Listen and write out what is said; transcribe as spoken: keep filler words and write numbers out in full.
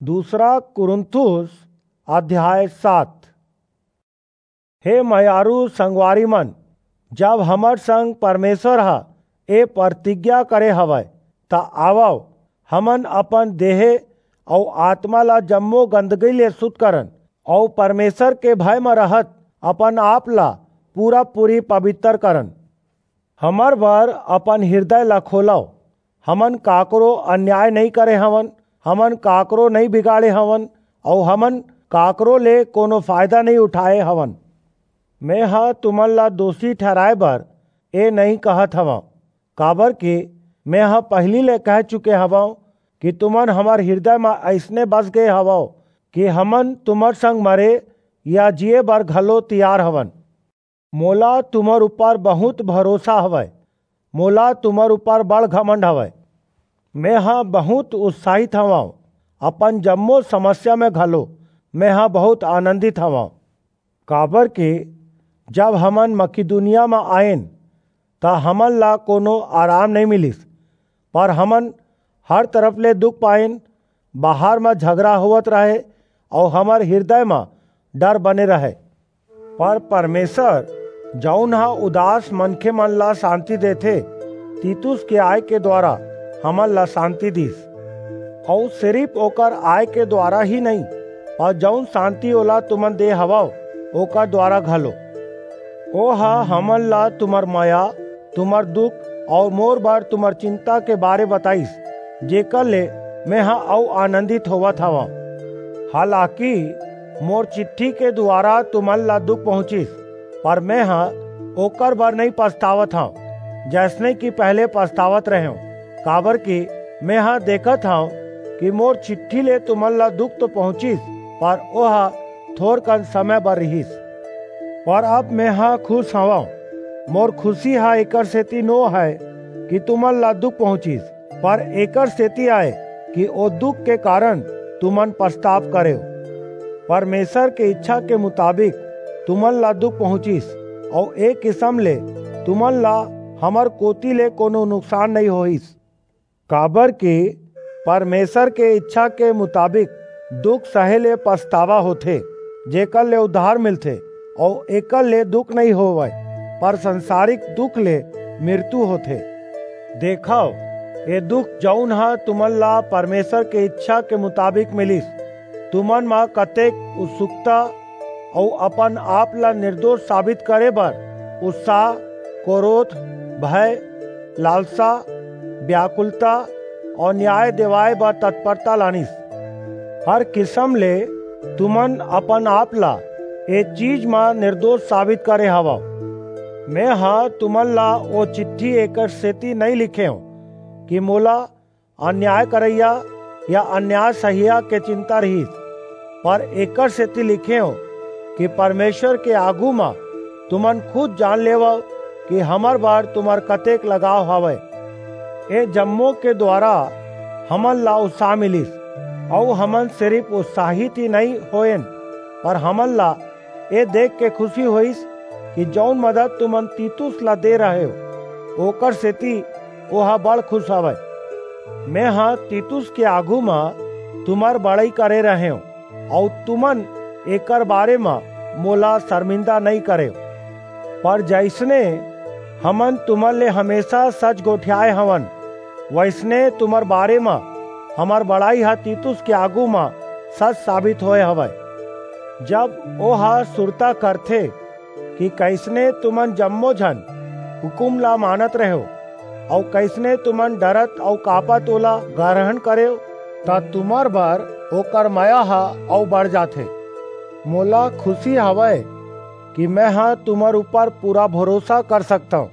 दूसरा कुरिन्थुस अध्याय सात। हे मयारू संगवारी मन, जब हमर संग परमेश्वर ह ए प्रतिज्ञा करे हवय, त आवव, हमन अपन देहे अऊ आत्मा ला जम्मो गंदगी ले शुद्ध करन, अऊ परमेश्वर के भय म रहत अपन आप ला पूरा-पूरी पवित्र करन। हमर बर अपन हृदय ला खोलव। हमन काकरो अन्याय नइं करे हवन, हमन काकरो नइं बिगाड़े हवन, अऊ हमन काकरो ले कोनो फायदा नइं उठाए हवन। मेंह तुमन ला दोषी ठहराय बर ए नइं कहत हवंव, काबरकि मेंह पहिली ले कह चुके हवंव कि तुमन हमर हृदय म अइसने बस गे हवव कि हमन तुमर संग मरे या जीए बर घलो तियार हवन। मोला तुमर ऊपर बहुंत भरोसा हवय, मोला तुमर ऊपर बड़ घमंड हवय। मेंह बहुंत उत्साहित हवंव, अपन जम्मो समस्या म घलो मेंह बहुंत आनंदित हवंव। काबरकि जब हमन मकिदुनिया म आएन, त हमन ला कोनो आराम नइं मिलिस, पर हमन हर तरफ ले दुख पाएन, बाहर म झगरा होवत रहय अऊ हमर हृदय म डर बने रहय। पर परमेश्वर, जऊन ह उदास मनखेमन ला सांति देथे, तीतुस के आय के दुवारा हमन ला सांति दीस। अऊ सिरिप ओकर आय के दुवारा ही नइं, पर जऊन सांति ओला तुमन दे हवव, ओकर दुवारा घलो। ओह हमन ला तुमर मया, तुमर दुख अऊ मोर बर तुमर चिंता के बारे बताईस, जेकर ले मेंह अऊ आनंदित होवत हवंव। हालाकि मोर चिट्ठी के दुवारा तुमन ला दुख पहुंचिस, पर मेंह ओकर बर नइं पछतावत हंव, जइसने कि पहिली पछतावत रहेंव, काबरकि मेंह देखत हंव कि मोर चिट्ठी ले तुमन ला दुख तो पहुंचिस, पर ओह थोरकन समय बर रिहिस। पर अब मेंह खुस हवंव। मोर खुसी ह एकर सेति नो हय कि तुमन ला दुख पहुंचिस, पर एकर सेति अय कि ओ दुख के कारन तुमन पछताव करेव। परमेश्वर के इच्छा के मुताबिक तुमन ला दुख पहुंचिस, अऊ ए किसम ले तुमन ला हमर कोति ले कोनो नुकसान नइं होईस। काबरकि परमेश्वर के इच्छा के मुताबिक दुख सहे ले पछतावा होथे, जेकर ले उद्धार मिलथे, अऊ एकर ले दुख नइं होवय, पर संसारिक दुख ले मृत्यु होथे। देखव, ए दुख जऊन ह तुमन ला परमेश्वर के इच्छा के मुताबिक मिलिस, तुमन म कतेक उत्सुकता अऊ अपन आप ला निर्दोष साबित करे बर उत्साह, क्रोध, भय, लालसा, व्याकुलता अऊ न्याय देवाय बर तत्परता लानिस। हर किसम ले तुमन अपन आप ला ए चीज म निर्दोष साबित करे हवव। मेंह तुमन ला ओ चिट्ठी एकर सेति नइं लिखेंव कि मोला अन्याय करइया या अन्याय सहिया के चिंता रिहिस, पर एकर सेति लिखेंव कि परमेश्वर के आघू म तुमन खुद जान लेवव कि हमर बर तुमर कतेक लगाव हवय। ए जम्मो के दुवारा हमन ला उत्साह मिलिस, अऊ हमन सिरिप उत्साहित ही नइं होएन, पर हमन ला ए देख के खुसी होईस कि जऊन मदद तुमन तीतुस ला दे रहेव, ओकर सेति ओह बड़ खुस हवय। मेंह तीतुस के आघू म तुमर बड़ई करे रहेंव, अऊ तुमन एकर बारे म मोला सरमिंदा नइं करेव। पर जइसने हमन तुमन ले हमेसा सच गोठियाय हवन, वइसने तुमर बारे म हमर बड़ई ह तीतुस के आघू म सच साबित होय हवय। जब ओह सुरता करथे कि कइसने तुमन जम्मो झन हुकूम ला मानत रहेव, अऊ कइसने तुमन डरत अऊ कांपत ओला ग्रहण करेव, त तुमर बर ओकर मया ह अऊ बढ़ जाथे। मोला खुसी हवय कि मेंह तुमर ऊपर पूरा भरोसा कर सकथंव,